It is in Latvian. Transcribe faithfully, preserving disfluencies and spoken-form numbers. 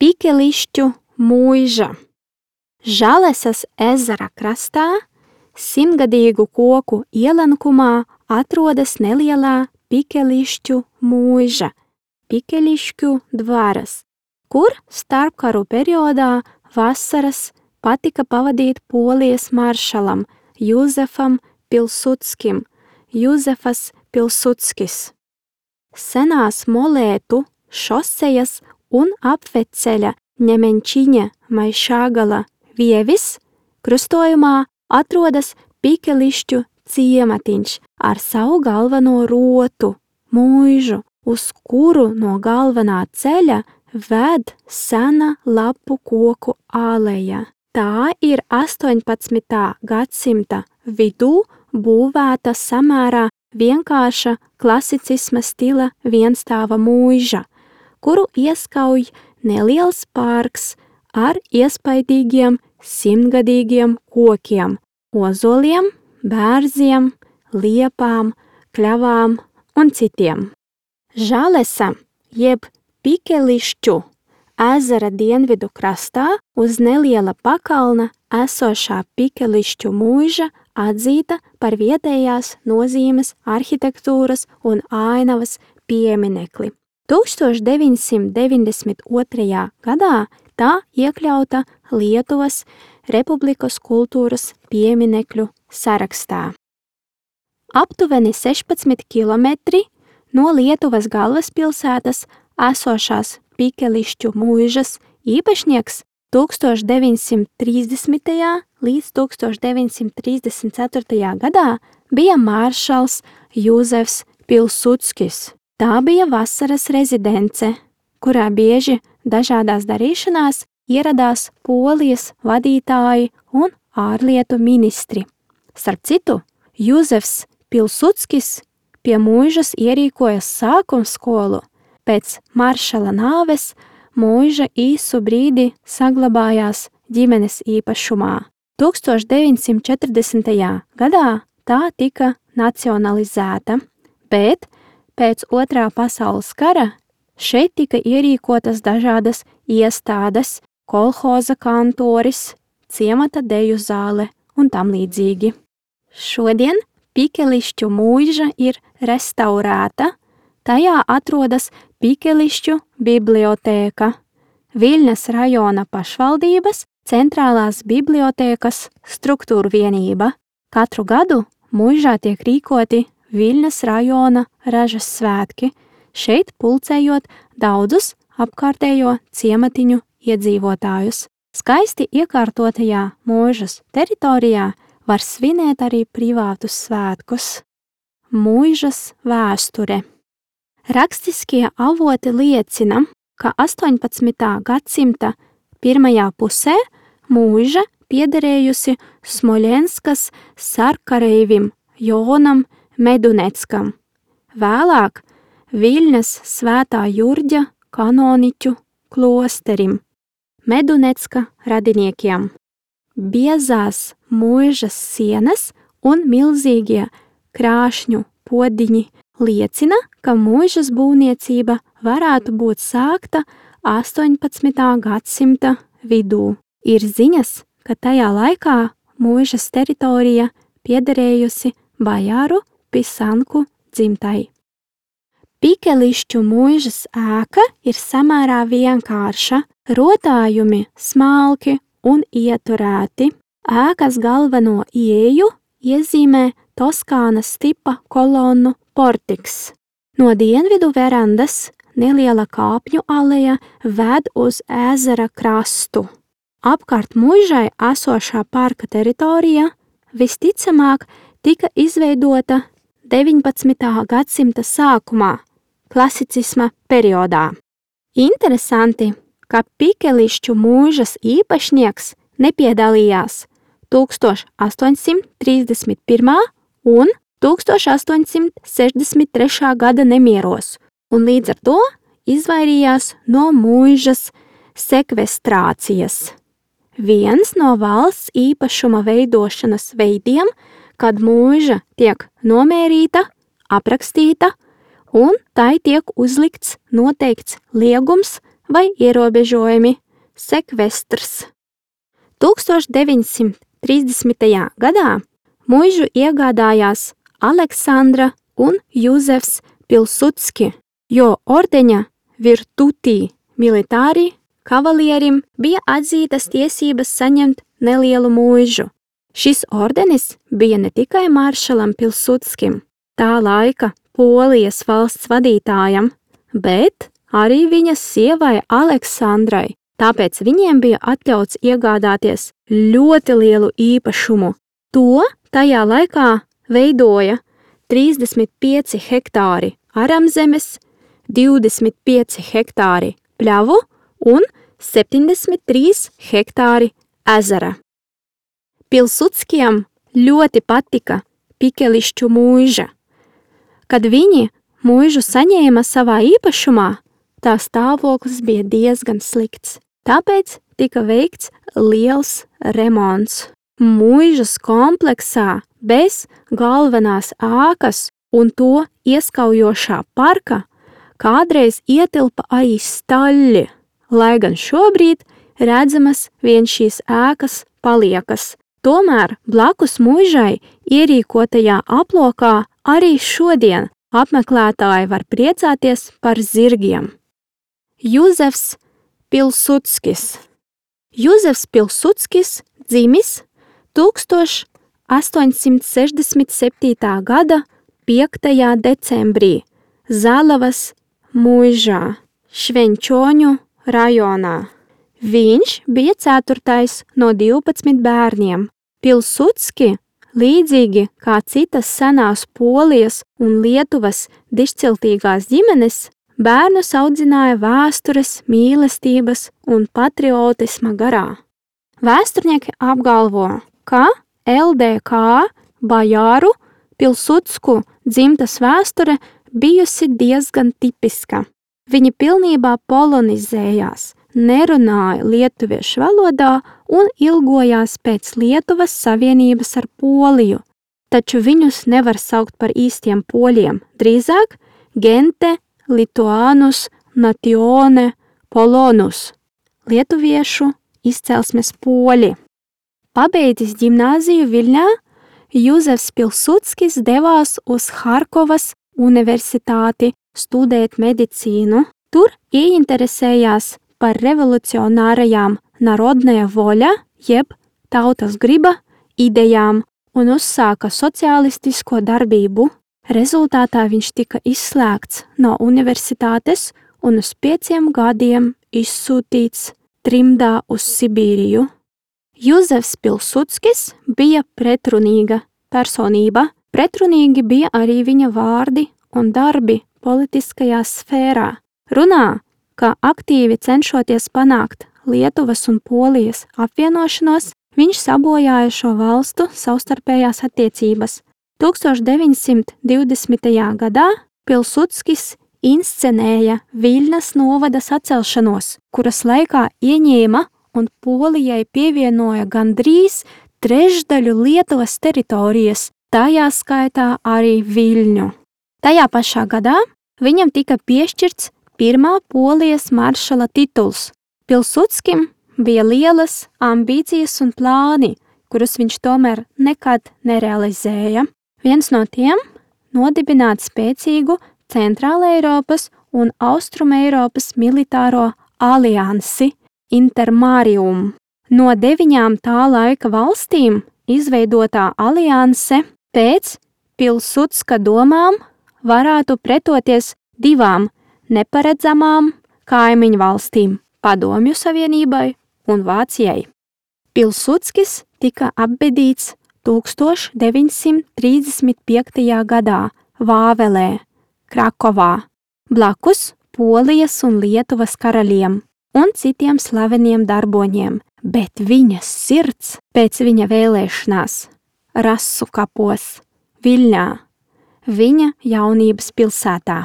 Pikelišķu mūža. Žalesas ezera krastā, simtgadīgu koku ielenkumā atrodas nelielā Pikelišķu mūža, Pikelišķu dvaras, kur starpkaru periodā vasaras patika pavadīt Polijas maršalam Juzefam Pilsudskim, Juzefas Pilsudskis. Senās Molētu, Šosejas un apveceļa Ņemenčiņa Maišāgala vievis krustojumā atrodas Pikelišķu ciematiņš ar savu galveno rotu, mūžu, uz kuru no galvenā ceļa ved sena lapu koku aleja. Tā ir astoņpadsmitā gadsimta vidū būvēta samērā vienkārša klasicisma stila vienstāva mūža, kuru ieskauj neliels parks ar iespaidīgiem simtgadīgiem kokiem, ozoliem, bērziem, liepām, kļavām un citiem. Žalesa jeb Pikelišķu ezera dienvidu krastā uz neliela pakalna esošā Pikelišķu mūža atzīta par vietējās nozīmes arhitektūras un ainavas pieminekli. tūkstoš deviņsimt deviņdesmit otrajā gadā tā iekļauta Lietuvas Republikas kultūras pieminekļu sarakstā. Aptuveni sešpadsmit kilometri no Lietuvas galvaspilsētas esošās Pikelišķu mūžas īpašnieks tūkstoš deviņsimt trīsdesmitajā līdz tūkstoš deviņsimt trīsdesmit ceturtajā gadā bija maršals Juzefs Pilsudskis. Tā bija vasaras rezidence, kurā bieži dažādās darīšanās ieradās Polijas vadītāji un ārlietu ministri. Starp citu, Juzefs Pilsudskis pie mūžas ierīkoja sākumskolu. Pēc maršala nāves mūža īsu brīdi saglabājās ģimenes īpašumā. tūkstoš deviņsimt četrdesmitajā gadā tā tika nacionalizēta, bet pēc otrā pasaules kara šeit tika ierīkotas dažādas iestādes, kolhoza kantoris, ciemata deju zāle un tam līdzīgi. Šodien Pikelišķu mūža ir restaurēta, tajā atrodas Pikelišķu bibliotēka, Viļņas rajona pašvaldības centrālās bibliotēkas struktūra vienība. Katru gadu mūžā tiek rīkoti Viļņas rajona ražas svētki, šeit pulcējot daudzus apkārtējo ciematiņu iedzīvotājus. Skaisti iekārtotajā mūžas teritorijā var svinēt arī privātus svētkus. Mūžas vēsture. Rakstiskie avoti liecina, ka astoņpadsmitā gadsimta pirmajā pusē mūža piederējusi Smoļenskas sarkareivim Jonam Meduneckam, vēlāk Viļņas Svētā Jurģa kanoniķu klosterim, Medunecka radiniekiem. Biezās mūžas sienas un milzīgie krāšņu podiņi liecina, ka mūžas būvniecība varētu būt sākta astoņpadsmitā gadsimta vidū. Ir ziņas, ka tajā laikā mūžas teritorija piederējusi bajāru Pisanku dzimtai. Pikelišķu mūžas ēka ir samērā vienkārša, rotājumi smalki un ieturēti. Ēkas galveno ieeju iezīmē Toskānas tipa kolonnu portiks. No dienvidu verandas neliela kāpņu aleja ved uz ezera krastu. Apkārt mūžai esošā parka teritorija visticamāk tika izveidota deviņpadsmitā gadsimta sākumā, klasicisma periodā. Interesanti, ka Pikelišķu mūžas īpašnieks nepiedalījās tūkstoš astoņsimt trīsdesmit pirmā un tūkstoš astoņsimt sešdesmit trešā gada nemieros, un līdz ar to izvairījās no mūžas sekvestrācijas. Viens no valsts īpašuma veidošanas veidiem, kad mūža tiek nomērīta, aprakstīta, un tai tiek uzlikts noteikts liegums vai ierobežojumi, sekvestrs. tūkstoš deviņsimt trīsdesmitajā gadā muižu iegādājās Aleksandra un Juzefs Pilsudski, jo ordeņa virtutī militāri kavalierim bija atzītas tiesības saņemt nelielu muižu. Šis ordenis bija ne tikai maršalam Pilsudskim, tā laika Polijas valsts vadītājam, bet arī viņas sievai Aleksandrai, tāpēc viņiem bija atļauts iegādāties ļoti lielu īpašumu. To tajā laikā veidoja trīsdesmit pieci hektāri aramzemes, divdesmit pieci hektāri pļavu un septiņdesmit trīs hektāri ezera. Pilsudskiem ļoti patika Pikelišķu muiža. Kad viņi muižu saņēma savā īpašumā, tā stāvoklis bija diezgan slikts. Tāpēc tika veikts liels remonts. Muižas kompleksā bez galvenās ēkas un to ieskaujošā parka kādreiz ietilpa arī staļļi, lai gan šobrīd redzamas vien šīs ēkas paliekas. Tomēr blakus muižai ierīkotajā aplokā arī šodien apmeklētāji var priecāties par zirgiem. Juzefs Pilsudskis. Juzefs Pilsudskis dzimis tūkstoš astoņsimt sešdesmit septītā gada piektajā decembrī Zalavas muižā, Švenčoņu rajonā. Viņš bija ceturtais no divpadsmit bērniem. Pilsudski, līdzīgi kā citas senās Polijas un Lietuvas dišciltīgās ģimenes, bērnus audzināja vēstures, mīlestības un patriotisma garā. Vēsturnieki apgalvo, ka L D K bajāru Pilsudsku dzimtas vēsture bijusi diezgan tipiska. Viņi pilnībā polonizējās, nerunāja lietuviešu valodā un ilgojās pēc Lietuvas savienības ar Poliju, taču viņus nevar saukt par īstiem poļiem, drīzāk gente lituanus natione polonus, lietuviešu izcelsmes poļi. Pabeidzis ģimnāziju Viļņā, Juzefs Pilsudskis devās uz Harkovas universitāti studēt medicīnu. Tur ieinteresējās par revolucionārajām narodnē voļa, jeb tautas griba, idejām un uzsāka sociālistisko darbību. Rezultātā viņš tika izslēgts no universitātes un uz pieciem gadiem izsūtīts trimdā uz Sibīriju. Juzefs Pilsudskis bija pretrunīga personība. Pretrunīgi bija arī viņa vārdi un darbi politiskajā sfērā. Runā, ka aktīvi cenšoties panākt Lietuvas un Polijas apvienošanos, viņš sabojāja šo valstu savstarpējās attiecības. tūkstoš deviņsimt divdesmitajā gadā Pilsudskis inscenēja Viļņas novada sacelšanos, kuras laikā ieņēma un Polijai pievienoja gandrīz trešdaļu Lietuvas teritorijas, tajā skaitā arī Viļņu. Tajā pašā gadā viņam tika piešķirts pirmā Polijas maršala tituls. Pilsudskim bija lielas ambīcijas un plāni, kurus viņš tomēr nekad nerealizēja. Viens no tiem – nodibināt spēcīgu Centrāla Eiropas un Austruma Eiropas militāro aliansi Intermarium. No deviņām tā laika valstīm izveidotā alianse pēc Pilsudska domām varētu pretoties divām neparedzamām kaimiņu valstīm – Padomju Savienībai un Vācijai. Pilsudskis tika apbedīts tūkstoš deviņsimt trīsdesmit piektajā gadā Vāvelē, Krakovā, blakus Polijas un Lietuvas karaļiem un citiem slaveniem darboņiem, bet viņa sirds pēc viņa vēlēšanās Rasu kapos, Viļņā, viņa jaunības pilsētā.